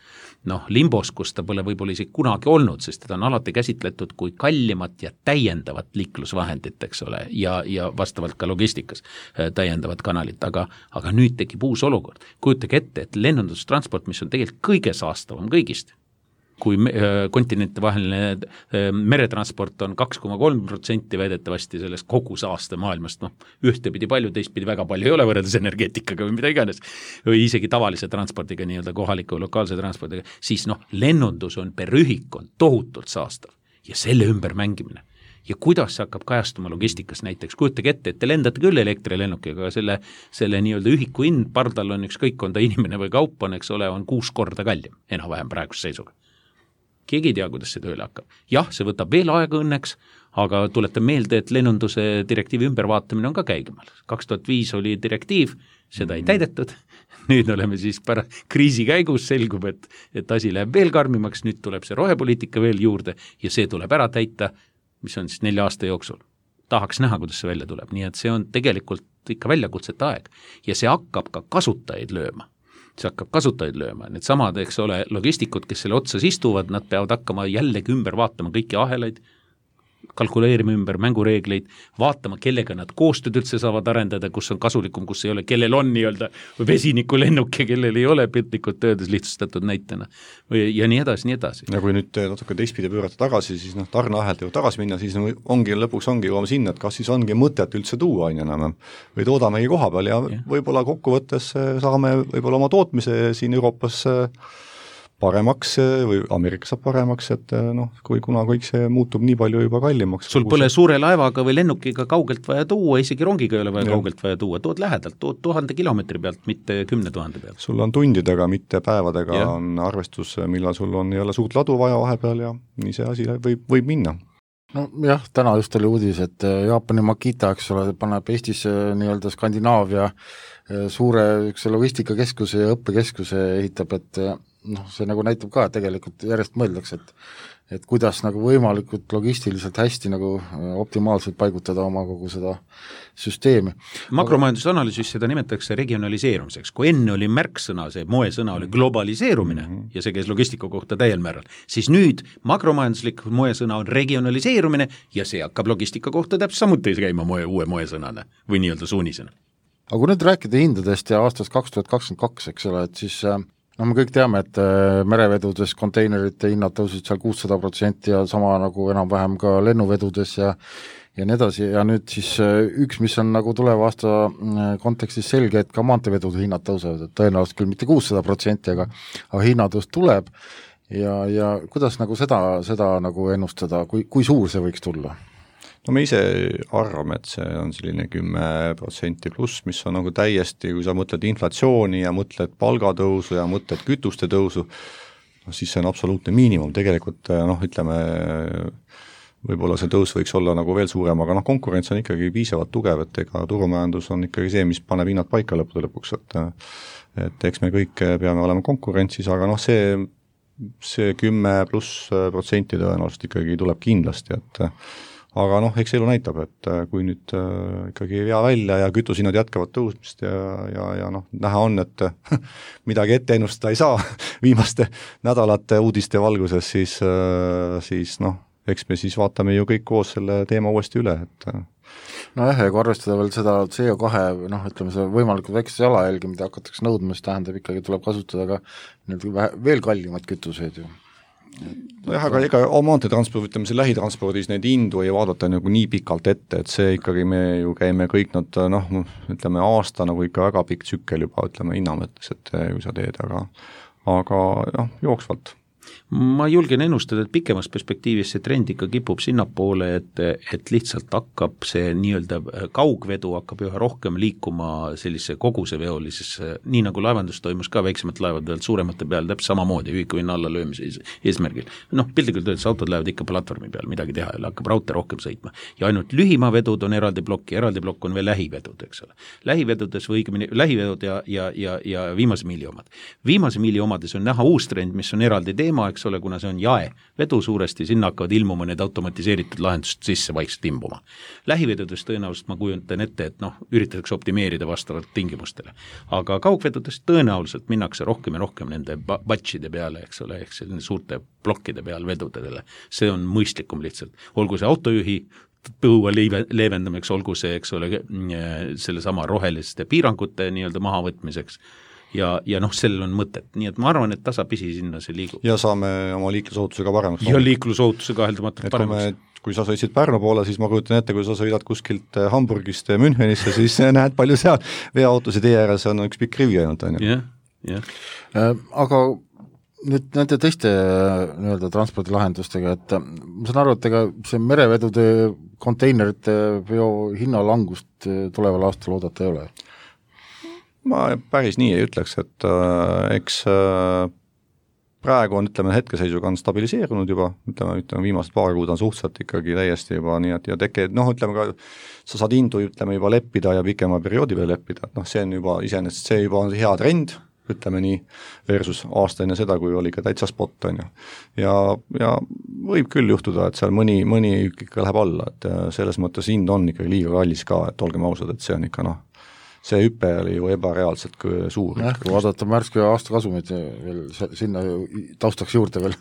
limbos, kus ta pole võib-olla isegi kunagi olnud, sest teda on alati käsitletud kui kallimat ja täiendavat liiklusvahendit, eks ole, ja vastavalt ka logistikas täiendavat kanalit, aga nüüd tekib uus olukord. Kujutage ette, et lennundustransport, mis on tegelikult kõige saastavam kõigist, kui kontinente vaheline meretransport on 2,3% väidetavasti sellest kogu saaste maailmast, ühtepidi palju, teistpidi väga palju ei ole võrreldes energeetikaga või mida iganes, või isegi tavalise transpordiga, nii-öelda kohaliku lokaalse transpordiga, siis lennundus on per ühik on tohutult saastav ja selle ümber mängimine. Ja kuidas see hakkab kajastuma logistikas näiteks, kujutage ette, et te lendate küll elektrilennukiga, aga selle nii-öelda ühiku hind pardal on ükskõik, on ta inimene või kaup on, eks ole, on 6 korda kallim, enam-vähem praeguse seisuga. Keegi ei tea, kuidas see tööle hakkab. Jah, see võtab veel aega õnneks, aga tuletan meelde, et lennunduse direktiivi ümbervaatamine on ka käigemal. 2005 oli direktiiv, seda ei täidetud, nüüd oleme siis kriisi käigus, selgub, et asi läheb veel karmimaks, nüüd tuleb see rohepoliitika veel juurde ja see tuleb ära täita, mis on siis 4 aasta jooksul. Tahaks näha, kuidas see välja tuleb, nii et see on tegelikult ikka väljakutsete aeg ja see hakkab ka kasutajaid lööma. See hakkab kasutajaid lööma. Need samad, eks ole, logistikud, kes selle otsas istuvad, nad peavad hakkama jällegi ümber vaatama kõiki ahelaid, kalkuleerima ümber mängureegleid, vaatama, kellega nad koostööd üldse saavad arendada, kus on kasulikum, kus ei ole, kellel on nii-öelda vesiniku lennuk ja kellel ei ole piltlikult töödes lihtsustatud näitena. Ja nii edasi, nii edasi. Ja kui nüüd natuke teistpidi pöörata tagasi, siis tarneahelt ju tagasi minna, siis lõpuks ongi jõuame sinna, et kas siis ongi mõtet üldse tuua enam või toodamegi koha peal ja võib-olla kokkuvõttes saame võib-olla oma tootmise siin Euroopas paremaks või Ameerikas saab paremaks, et kui kuna kõik see muutub nii palju juba kallimaks. Sul pole suure laevaga või lennukiga kaugelt vaja tuua, isegi rongiga ei ole vaja kaugelt vaja tuua, tood lähedalt, tood 1000 kilomeetri pealt, mitte 10 000 pealt. Sul on tundidega, mitte päevadega on arvestus, millal sul on jälle suurt ladu vaja vahepeal ja nii see asi võib minna. Jah, täna just oli uudis, et Jaapani Makita, eks ole, paneb Eestis nii-öelda Skandinaavia suure logistikakeskuse ja õppekeskuse ehitab, et see nagu näitab ka, et tegelikult järjest mõeldakse, et kuidas nagu võimalikult logistiliselt hästi nagu optimaalselt paigutada oma kogu seda süsteemi. Makromajandusanalüüsis seda nimetatakse regionaliseerumiseks. Kui enne oli märksõna, see moesõna oli globaliseerumine ja see käis logistika kohta täiel määral, siis nüüd makromajanduslik moesõna on regionaliseerumine ja see hakkab logistika kohta täpselt samuti käima uue moesõnana või nii-öelda suunisena. Aga kui nüüd rääkida hindadest ja aastast 2022, eks ole, et siis no me kõik teame, et merevedudes konteinerite hinnad tõusid seal 600% ja sama nagu enam-vähem ka lennuvedudes ja nii edasi ja nüüd siis üks, mis on nagu tuleva aasta kontekstis selge, et ka maanteevedude hinnad tõusevad, et tõenäoliselt küll mitte 600%, aga hinnatõus tuleb ja kuidas nagu seda nagu ennustada, kui suur see võiks tulla? No me ise arvame, et see on selline 10% pluss, mis on nagu täiesti, kui sa mõtled inflatsiooni ja mõtled palgatõusu ja mõtled kütuste tõusu, siis see on absoluutne miinimum, tegelikult ütleme, võib-olla see tõus võiks olla nagu veel suurem, aga konkurents on ikkagi piisavalt tugev, et ega turumajandus on ikkagi see, mis paneb hinnad paika lõpuks, et eks me kõik peame olema konkurentsis, aga see 10+% tõenäoliselt ikkagi tuleb kindlasti, et aga eks elu näitab, et kui nüüd ikkagi ei vea välja ja kütusinnad jätkavad tõusmist ja näha on, et midagi ette ennustada ei saa viimaste nädalate uudiste valguses, siis eks me siis vaatame ju kõik koos selle teema uuesti üle, et nojah, ja kui arvestada veel seda CO2, ütleme see võimalikult väikse jalajälgi, mida hakatakse nõudma, siis tähendab ikkagi tuleb kasutada ka veel kallimaid kütuseid ju. Nojah, aga ega maanteetransport, ütleme see lähitranspordis neid hindu ei vaadata nagu nii pikalt ette, et see ikkagi me ju käime kõik nad, ütleme aasta nagu ikka väga pikk tsükkel juba, ütleme hinna mõttes, et kui sa teed, aga jooksvalt. Ma julgen ennustada, et pikemas perspektiivis see trend ikka kipub sinnapoole, et lihtsalt hakkab see nii-öelda kaugvedu hakkab üha rohkem liikuma sellise koguseveolisesse, nii nagu laevandus toimus ka väiksemate laevade pealt suuremate peal, täpselt samamoodi ühikuhinna alla löömise eesmärgil. Piltlikult öeldes autod lähevad ikka platvormi peal, midagi teha ei ole, hakkab raudtee rohkem sõitma. Ja ainult lühimaavedud on eraldi plokk on veel lähivedud, eks ole. Lähivedudes või õigemini lähivedud ja viimase miili omad. Viimase miili omades on näha uus trend, mis on eraldi teema, eks ole, kuna see on jaevedu suuresti, sinna hakkavad ilmuma need automatiseeritud lahendused sisse vaikselt imbuma. Lähivedudes tõenäoliselt ma kujutan ette, et üritatakse optimeerida vastavalt tingimustele. Aga kaugvedudes tõenäoliselt minnakse rohkem ja rohkem nende batchide peale, eks ole, ehk suurte plokkide peal vedudele. See on mõistlikum lihtsalt. Olgu see autojuhi põua leevendamiseks, olgu see, eks ole, selle sama roheliste piirangute nii-öelda mahavõtmiseks. Ja sellel on mõtet, nii et ma arvan, et tasapisi sinna see liigub. Ja saame oma liiklusohutusega paremaks. Ja liiklusohutusega kaheldamatult paremaks. Kui sa sõitsid Pärnu poole, siis ma kujutan ette, kui sa sõidad kuskilt Hamburgist Münchenisse, siis näed palju seal veoautosid ääres on üks pikk rivi ainult. Aga nüüd nende teiste nii-öelda transpordilahendustega, et ma saan aru, et ega see merevedude konteinerite veo hinnalangust tuleval aastal oodata ei ole? Ma päris nii ei ütleks, et eks praegu on, ütleme, hetkeseisuga on stabiliseerunud juba, ütleme viimased paar kuud on suhteliselt ikkagi täiesti juba nii, et ja ütleme ka, sa saad hindu, ütleme, juba leppida ja pikema perioodi peale leppida, et see on juba iseenesest, see juba on hea trend, ütleme nii, versus aasta enne seda, kui oli ka täitsa spot, on ju. Ja võib küll juhtuda, et seal mõni ikka läheb alla, et selles mõttes hind on ikkagi liiga kallis ka, et olgem ausad, et see on ikka see hüpe oli ju ebareaalselt suur. Kui vaadata märske aastakasumid veel sinna taustaks juurde veel.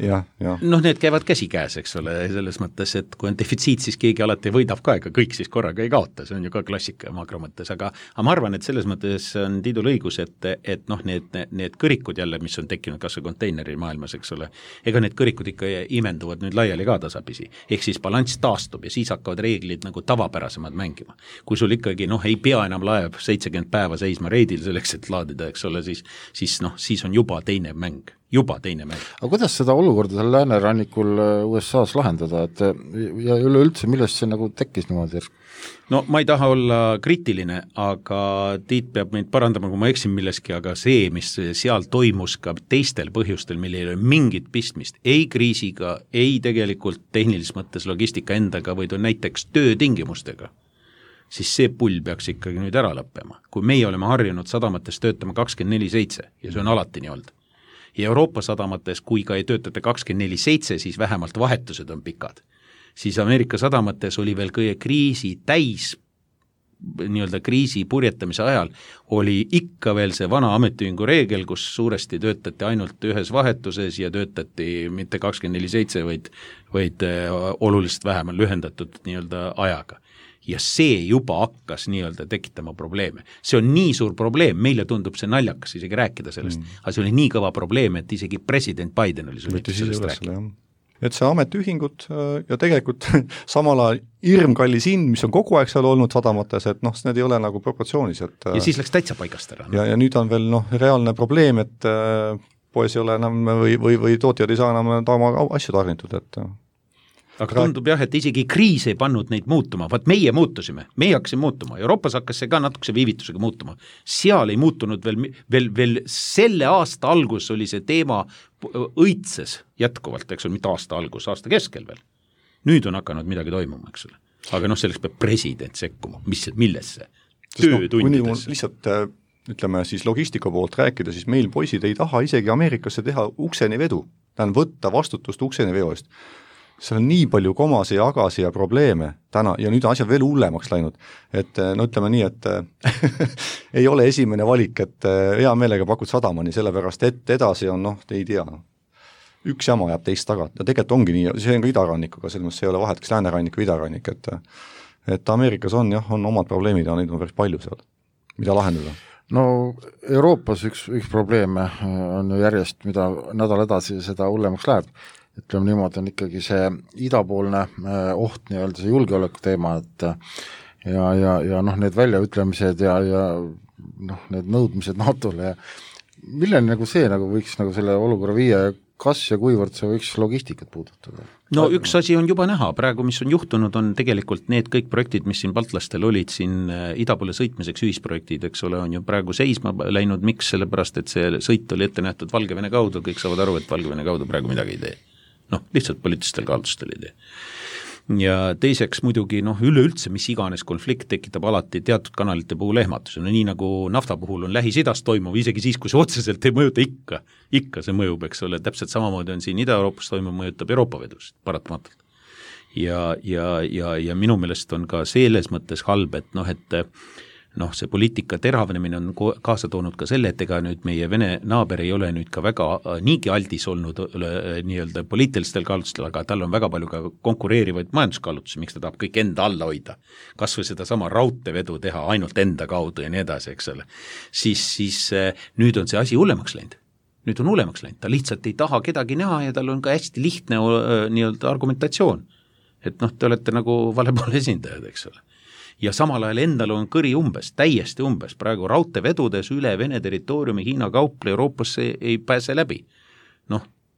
Need käivad käsikäes, eks ole, selles mõttes, et kui on defitsiit, siis keegi alati võidab ka, ega kõik siis korraga ei kaota, see on ju ka klassika makro mõttes, aga ma arvan, et selles mõttes on Tiidul õigus, et need kõrikud jälle, mis on tekkinud kas või konteineri maailmas, eks ole, ega need kõrikud ikka imenduvad nüüd laiali ka tasapisi, ehk siis balanss taastub ja siis hakkavad reeglid nagu tavapärasemad mängima. Kui sul ikkagi ei pea enam laev 70 päeva seisma reidil selleks, et laadida, eks ole, siis on juba teine mäng. Aga kuidas seda olukorda seal läänerannikul USA-s lahendada, et ja üleüldse, millest see nagu tekkis niimoodi? Ma ei taha olla kriitiline, aga Tiit peab meid parandama, kui ma eksin milleski, aga see, mis seal toimus ka teistel põhjustel, millel ei ole mingit pistmist, ei kriisiga, ei tegelikult tehnilises mõttes logistika endaga, või näiteks töötingimustega, siis see pull peaks ikkagi nüüd ära lõppema. Kui meie oleme harjunud sadamates töötama 24/7 ja see on alati nii olnud. Ja Euroopa sadamates, kui ka ei töötate 24/7, siis vähemalt vahetused on pikad. Siis Ameerika sadamates oli veel kõige kriisi täis, nii-öelda kriisi purjetamise ajal, oli ikka veel see vana ametiühingu reegel, kus suuresti töötati ainult ühes vahetuses ja töötati mitte 24/7, vaid oluliselt vähem lühendatud nii-öelda ajaga. ja see juba hakkas nii-öelda tekitama probleeme. See on nii suur probleem, meile tundub see naljakas isegi rääkida sellest, aga see oli nii kõva probleem, et isegi president Biden oli sunnitud sellest rääkida. Et see ametiühingud ja tegelikult samal ajal hirmkallis hind, mis on kogu aeg seal olnud sadamates, et need ei ole nagu proportsioonis. Et, ja siis läks täitsa paigast ära. Ja nüüd on veel reaalne probleem, et poes ei ole enam või tootjad ei saa enam oma asju tarnitud, et aga tundub jah, et isegi kriis ei pannud neid muutuma, vaat meie muutusime, meie hakkasime muutuma, Euroopas hakkas see ka natukese viivitusega muutuma, seal ei muutunud veel selle aasta algus oli see teema õitses jätkuvalt, eks ole, mitte aasta algus, aasta keskel veel. Nüüd on hakanud midagi toimuma, eks ole. Aga selleks peab president sekkuma, millesse? Töötundidesse. Lihtsalt ütleme siis logistika poolt rääkida, siis meil poisid ei taha isegi Ameerikasse teha ukseni vedu, tähendab võtta vastutust ukseni veo eest. Seal on nii palju komasi ja agasi ja probleeme täna ja nüüd on asjad veel hullemaks läinud, et ütleme nii, et ei ole esimene valik, et hea meelega pakud sadamani, sellepärast et edasi on, ei tea, üks jama jääb teist taga ja tegelikult ongi nii, see on ka idarannikuga, selles mõttes ei ole vahet, kas läänerannik või idarannik, et Ameerikas on omad probleemid ja neid on päris palju seal, mida lahendada. No Euroopas üks probleeme on ju järjest, mida nädal edasi seda hullemaks läheb, ütleme niimoodi, on ikkagi see idapoolne oht, nii-öelda see julgeoleku teema, et ja need väljaütlemised ja need nõudmised NATO-le ja milleni nagu see võiks selle olukorra viia ja kas ja kuivõrd see võiks logistikat puudutada? No üks asi on juba näha, praegu mis on juhtunud, on tegelikult need kõik projektid, mis siin baltlastel olid siin ida poole sõitmiseks ühisprojektid, eks ole, on ju praegu seisma läinud, miks, sellepärast, et see sõit oli ette nähtud Valgevene kaudu, kõik saavad aru, et Valgevene kaudu praegu midagi ei tee. Lihtsalt poliitilistel kaalutlustel ei tee. Ja teiseks muidugi üleüldse, mis iganes konflikt tekitab alati teatud kanalite puhul ehmatuse, nii nagu nafta puhul on Lähis-Idas toimuv, isegi siis, kui see otseselt ei mõjuta ikka see mõjub, eks ole, täpselt samamoodi on siin Ida-Euroopas toimuv, mõjutab Euroopa vedust paratamatult. Ja minu meelest on ka selles mõttes halb, et see poliitika teravnemine on kaasa toonud ka selle, et ega nüüd meie Vene naaber ei ole nüüd ka väga niigi aldis olnud nii-öelda poliitilistel kaalutlustel, aga tal on väga palju ka konkureerivaid majanduskaalutlusi, miks ta tahab kõik enda alla hoida. Kas või seda sama raudteevedu teha ainult enda kaudu ja nii edasi, eks ole. Siis nüüd on see asi hullemaks läinud. Nüüd on hullemaks läinud, ta lihtsalt ei taha kedagi näha ja tal on ka hästi lihtne nii-öelda argumentatsioon. Et te olete nagu valepoole esindajad, eks ole. Ja samal ajal endal on kõri täiesti umbes, praegu raudteevedudes üle Vene territooriumi Hiina kauple Euroopasse ei pääse läbi.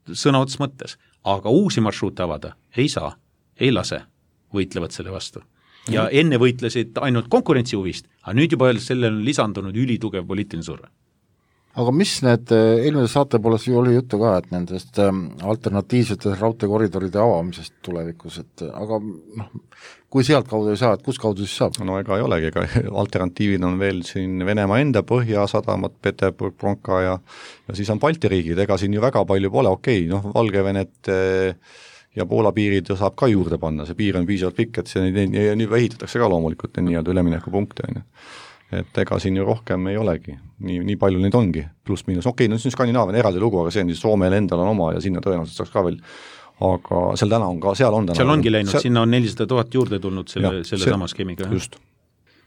Sõna ots mõttes, aga uusi marsruute avada ei saa, ei lase, võitlevad selle vastu. Ja enne võitlesid ainult konkurentsihuvist, aga nüüd juba sellele on lisandunud ülitugev poliitiline surve. Aga mis need, eelmises saate poolest oli juttu ka, et nendest alternatiivsete raudteekoridoride avamisest tulevikus, et aga kui sealt kaudu ei saa, et kus kaudu siis saab? No ega ei olegi, ega alternatiivid on veel siin Venemaa enda Põhjasadamat, Peterburg, Bronka ja siis on Balti riigid, ega siin ju väga palju pole, Valgevenet ja Poola piirid saab ka juurde panna, see piir on piisavalt pikk, et see nüüd ehitatakse ka loomulikult nii-öelda üleminekupunkte, et ega siin ju rohkem ei olegi, nii palju neid ongi, pluss miinus, see on Skandinaavia eraldi lugu, aga see on siis Soomel endal on oma ja sinna tõenäoliselt saaks ka veel, aga seal ongi läinud, sinna on 400 000 juurde tulnud selle sama skeemiga. Just.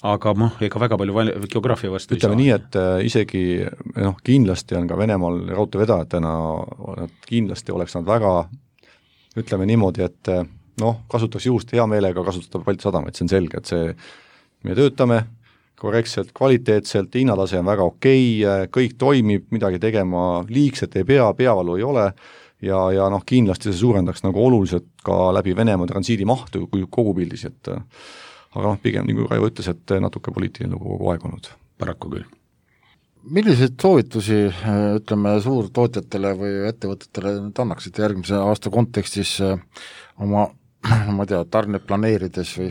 Aga ega väga palju geograafia vastu ütleme nii, et isegi kindlasti on ka Venemaal raudteevedajatena, kindlasti oleks nad väga, ütleme niimoodi, et kasutaks juhust hea meelega kasutada Balti sadamaid, see on selge, et me töötame korrektselt, kvaliteetselt, hinnatase on väga okei, kõik toimib, midagi tegema liigselt ei peavalu ei ole ja kindlasti see suurendaks oluliselt ka läbi Venemaa transiidi mahtu kui kogu pildis, et aga pigem, nagu Raivo ütles, et natuke poliitiline lugu kogu aeg olnud. Paraku küll. Milliseid soovitusi, ütleme, suurtootjatele või ettevõtetele nüüd annaksite järgmise aasta kontekstis oma, tarned planeerides või?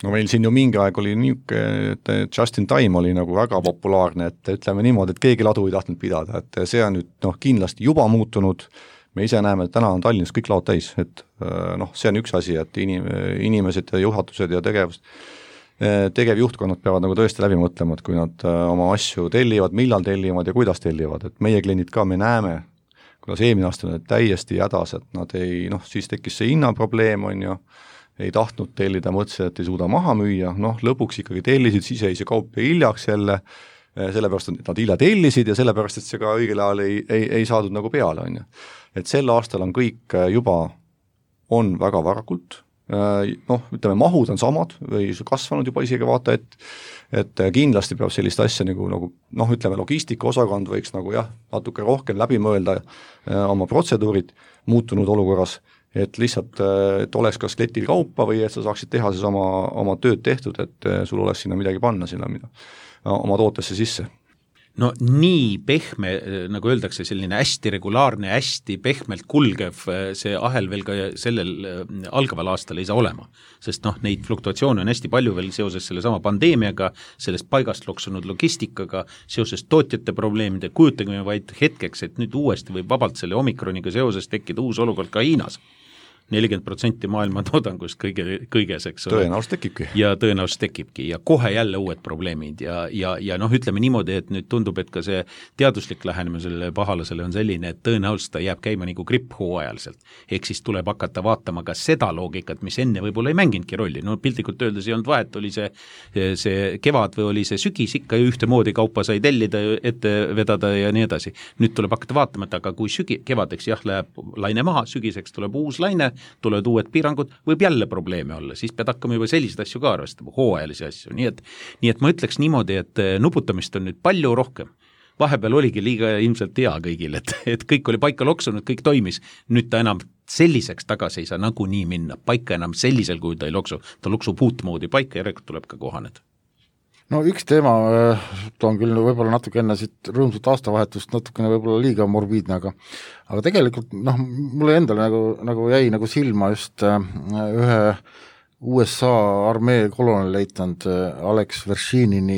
No meil siin ju mingi aeg oli niisugune, et just in time oli nagu väga populaarne, et ütleme niimoodi, et keegi ladu ei tahtnud pidada, et see on nüüd kindlasti juba muutunud, me ise näeme, et täna on Tallinnas kõik laod täis, et see on üks asi, et inimesed ja juhatused ja tegevjuhtkonnad peavad nagu tõesti läbi mõtlema, et kui nad oma asju tellivad, millal tellivad ja kuidas tellivad, et meie kliendid ka, me näeme, kuidas eelmine aasta on täiesti hädas, et nad ei, siis tekkis see hinnaprobleem, on ju, ei tahtnud tellida, mõtlesid, et ei suuda maha müüa, lõpuks ikkagi tellisid, siis jäi see kaup hiljaks jälle, sellepärast, et nad hilja tellisid ja sellepärast, et see ka õigel ajal ei saadud nagu peale, on ju. Et sel aastal on kõik juba on väga varakult, ütleme, mahud on samad või kasvanud juba isegi vaata, et kindlasti peab sellist asja nagu ütleme, logistikaosakond võiks nagu natuke rohkem läbi mõelda oma protseduurid muutunud olukorras, et lihtsalt, et oleks kas kletil kaupa või et sa saaksid teha siis oma tööd tehtud, et sul oleks sinna midagi panna sinna oma tootesse sisse. No nii pehme, nagu öeldakse, selline hästi regulaarne, hästi pehmelt kulgev see ahel veel ka sellel algaval aastal ei saa olema, sest neid fluktuatsioone on hästi palju veel seoses selle sama pandeemiaga, sellest paigast loksunud logistikaga, seoses tootjate probleemide, kujutage vaid hetkeks, et nüüd uuesti võib vabalt selle omikroniga seoses tekkida uus olukord ka Hiinas. 40% maailma toodangust kõiges, eks ole. Tõenäoliselt tekibki ja kohe jälle uued probleemid ja ütleme niimoodi, et nüüd tundub, et ka see teaduslik lähenemine sellele pahalasele on selline, et tõenäoliselt ta jääb käima nagu gripp hooajaliselt. Ehk siis tuleb hakata vaatama ka seda loogikat, mis enne võib-olla ei mänginudki rolli. Piltlikult öeldes ei olnud vahet, oli see kevad või oli see sügis, ikka ühtemoodi kaupa sai tellida, ette vedada ja nii edasi. Nüüd tuleb hakata vaatama, et aga kui kevadeks läheb laine maha, sügiseks tuleb uus laine, tulevad uued piirangud, võib jälle probleeme olla, siis pead hakkama juba selliseid asju ka arvestama, hooajalisi asju, nii et ma ütleks niimoodi, et nuputamist on nüüd palju rohkem. Vahepeal oligi liiga ilmselt hea kõigil, et kõik oli paika loksunud, kõik toimis, nüüd ta enam selliseks tagasi ei saa nagu nii minna, paika enam sellisel, kui ta ei loksu, ta loksub uut moodi paika ja järelikult tuleb ka kohaneda. No üks teema, toon küll võib-olla natuke enne siit rõõmsat aastavahetust natukene võib-olla liiga morbiidne, aga tegelikult mulle endale nagu jäi nagu silma just ühe USA armee kolonelleitnant Alex Vershinin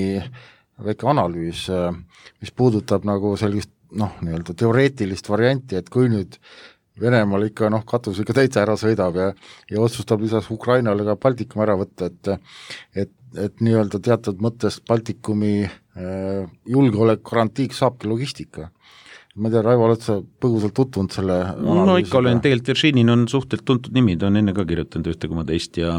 väike analüüs, mis puudutab nagu sellist nii-öelda teoreetilist varianti, et kui nüüd Venemaal ikka katus ikka täitsa ära sõidab ja otsustab lisaks Ukrainale ka Baltikum ära võtta, et nii-öelda teatud mõttes Baltikumi julgeolek garantiiks saabki logistika. Ma ei tea, Raivo, oled sa põgusalt tutvunud selle analüüsiga? No ikka olen, tegelikult Vershinin on suhteliselt tuntud nimi, ta on enne ka kirjutanud ühte koma teist ja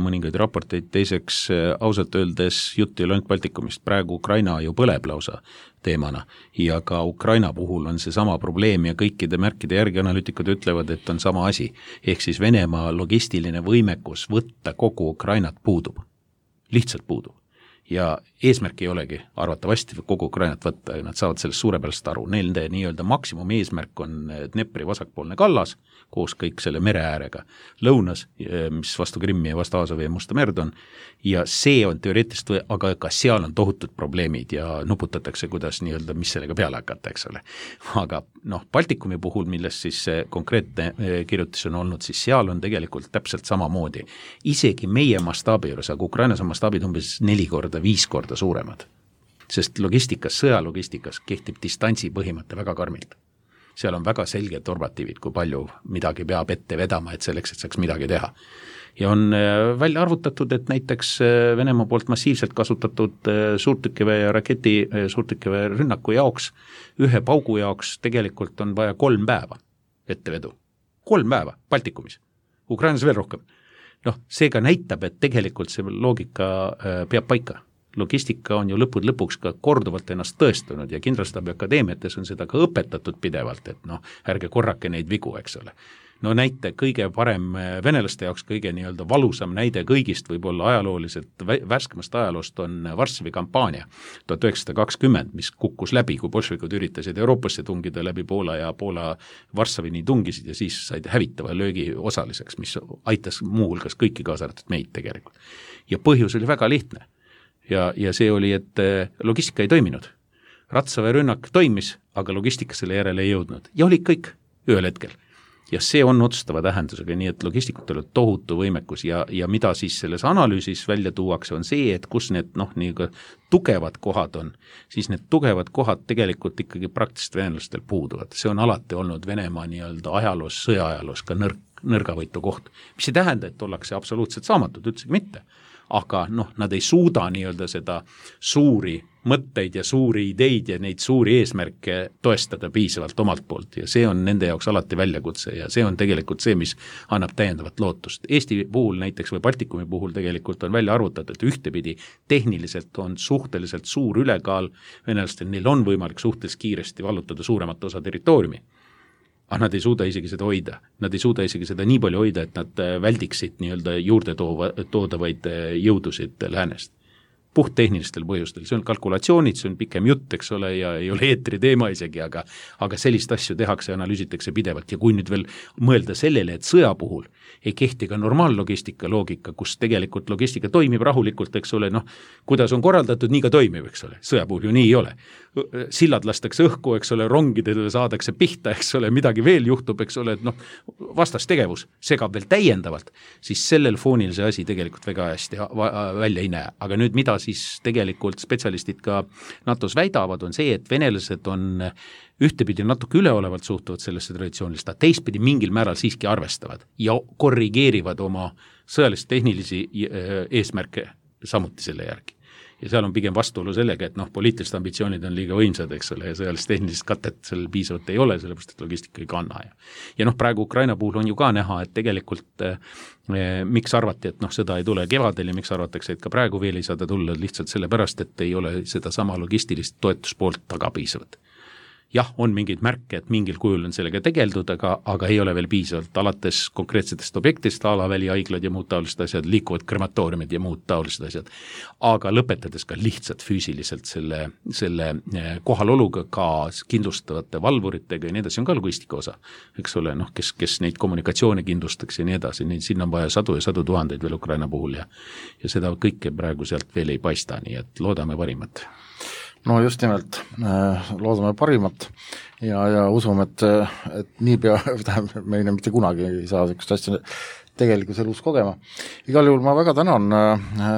mõningaid raporteid, teiseks ausalt öeldes jutt ei ole ainult Baltikumist, praegu Ukraina ju põleb lausa teemana ja ka Ukraina puhul on see sama probleem ja kõikide märkide järgi analüütikud ütlevad, et on sama asi, ehk siis Venemaa logistiline võimekus võtta kogu Ukrainat puudub, lihtsalt puudub. Ja eesmärk ei olegi arvatavasti kogu Ukrainat võtta ja nad saavad sellest suurepärast aru. Nende nii-öelda maksimum eesmärk on Dnepri vasakpoolne kallas koos kõik selle mere äärega lõunas, mis vastu Krimmi ja vastu Aasovi ja Musta merd on ja see on teoreetiliselt, aga ka seal on tohutud probleemid ja nuputatakse, kuidas nii-öelda, mis sellega peale hakata, eks ole. Aga Baltikumi puhul, millest siis see konkreetne kirjutis on olnud, siis seal on tegelikult täpselt samamoodi. Isegi meie mastaabi juures, aga Ukrainas on mastaabid umbes 4 korda, 5 korda suuremad, sest logistikas, sõjalogistikas kehtib distantsi põhimõte väga karmilt. Seal on väga selged normatiivid, kui palju midagi peab ette vedama, et selleks, et saaks midagi teha. Ja on välja arvutatud, et näiteks Venemaa poolt massiivselt kasutatud suurtükiväe ja raketi suurtükiväe rünnaku jaoks, ühe paugu jaoks tegelikult on vaja 3 päeva ettevedu. 3 päeva Baltikumis, Ukrainas veel rohkem. Seega näitab, et tegelikult see loogika peab paika. Logistika on ju lõpuks ka korduvalt ennast tõestunud ja Kindralstaabi akadeemiates on seda ka õpetatud pidevalt, et ärge korrake neid vigu, eks ole. Näite kõige parem venelaste jaoks, kõige nii-öelda valusam näide kõigist võib-olla ajalooliselt värskemast ajaloost on Varssavi kampaania 1920, mis kukkus läbi, kui bolševikud üritasid Euroopasse tungida läbi Poola ja Poola Varssavini tungisid ja siis said hävitava löögi osaliseks, mis aitas muuhulgas kõiki kaasartud meid tegelikult. Ja põhjus oli väga lihtne. Ja see oli, et logistika ei toiminud. Ratsaväe rünnak toimis, aga logistika selle järele ei jõudnud. Ja oli kõik ühel hetkel. Ja see on otsustava tähendusega, nii et logistikutel on tohutu võimekus ja mida siis selles analüüsis välja tuuakse, on see, et kus need tugevad kohad on, siis need tugevad kohad tegelikult ikkagi praktiliselt venelastel puuduvad. See on alati olnud Venemaa nii-öelda ajaloos, sõjaajaloos ka nõrgavõitu koht, mis ei tähenda, et ollakse absoluutselt saamatud, üldse mitte. aga noh, nad ei suuda nii-öelda seda suuri mõtteid ja suuri ideid ja neid suuri eesmärke toestada piisavalt omalt poolt ja see on nende jaoks alati väljakutse ja see on tegelikult see, mis annab täiendavat lootust. Eesti puhul näiteks või Baltikumi puhul tegelikult on välja arvutatud, et ühtepidi tehniliselt on suhteliselt suur ülekaal venelastel, neil on võimalik suhteliselt kiiresti vallutada suuremat osa territooriumi. Aga nad ei suuda isegi seda hoida. Nad ei suuda isegi seda nii palju hoida, et nad väldiksid nii-öelda juurde toodavaid jõudusid läänest. Puht tehnilistel põhjustel, see on kalkulatsioonid, see on pikem jutt, eks ole, ja ei ole eetri teema isegi, aga sellist asju tehakse ja analüüsitakse pidevalt ja kui nüüd veel mõelda sellele, et sõja puhul ei kehti ka normaallogistika loogika, kus tegelikult logistika toimib rahulikult, eks ole, noh, kuidas on korraldatud, nii ka toimib, eks ole, sõja puhul ju nii ei ole. Sillad lastakse õhku, eks ole, rongidele saadakse pihta, eks ole, midagi veel juhtub, eks ole, et noh, vastastegevus segab veel täiendavalt, siis sellel foonil see asi tegelikult väga hästi välja ei näe, aga nüüd mida siis tegelikult spetsialistid ka NATO-s väidavad, on see, et venelased on ühtepidi natuke üleolevalt suhtuvad sellesse traditsioonilist, aga teistpidi mingil määral siiski arvestavad ja korrigeerivad oma sõjalist-tehnilisi eesmärke samuti selle järgi. Ja seal on pigem vastuolu sellega, et noh, poliitilised ambitsioonid on liiga võimsad, eks ole, ja sõjalist-tehnilist katet seal piisavalt ei ole, sellepärast et logistika ei kanna. Ja noh, praegu Ukraina puhul on ju ka näha, et tegelikult miks arvati, et noh, seda ei tule kevadel ja miks arvatakse, et ka praegu veel ei saada tulla lihtsalt sellepärast, et ei ole seda sama logistilist toetuspoolt taga piisavad. Jah, on mingeid märke, et mingil kujul on sellega tegeldud, aga ei ole veel piisavalt alates konkreetsetest objektist, alavälihaiglad ja muud taolised asjad, liikuvad krematooriumid ja muud taolised asjad. Aga lõpetades ka lihtsalt füüsiliselt selle kohaloluga ka kindlustavate valvuritega ja nii edasi on ka logistika osa, eks ole, noh, kes neid kommunikatsioone kindlustaks ja nii edasi, siin on vaja sadu ja sadu tuhandeid veel Ukraina puhul ja seda kõike praegu sealt veel ei paista, nii et loodame parimat. No just nimelt, loodame parimat ja usume, et niipea, meile mitte kunagi ei saa sellist asja tegelikus elus kogema. Igal juhul ma väga tänan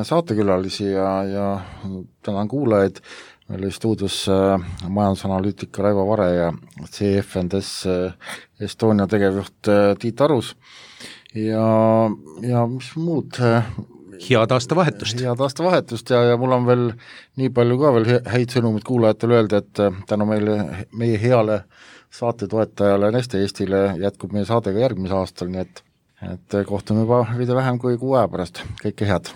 saatekülalisi ja tänan kuulajaid. Meil oli stuudios majandusanalüütika Raivo Vare ja CFNDS Estonia tegevjuht Tiit Arus ja mis muud... Head aastavahetust ja mul on veel nii palju ka veel häid sõnumid kuulajatele öelda, et tänu meie heale saatetoetajale Neste Eestile jätkub meie saade ka järgmise aastal, nii et kohtume juba veidi vähem kui 6 aja pärast. Kõike head!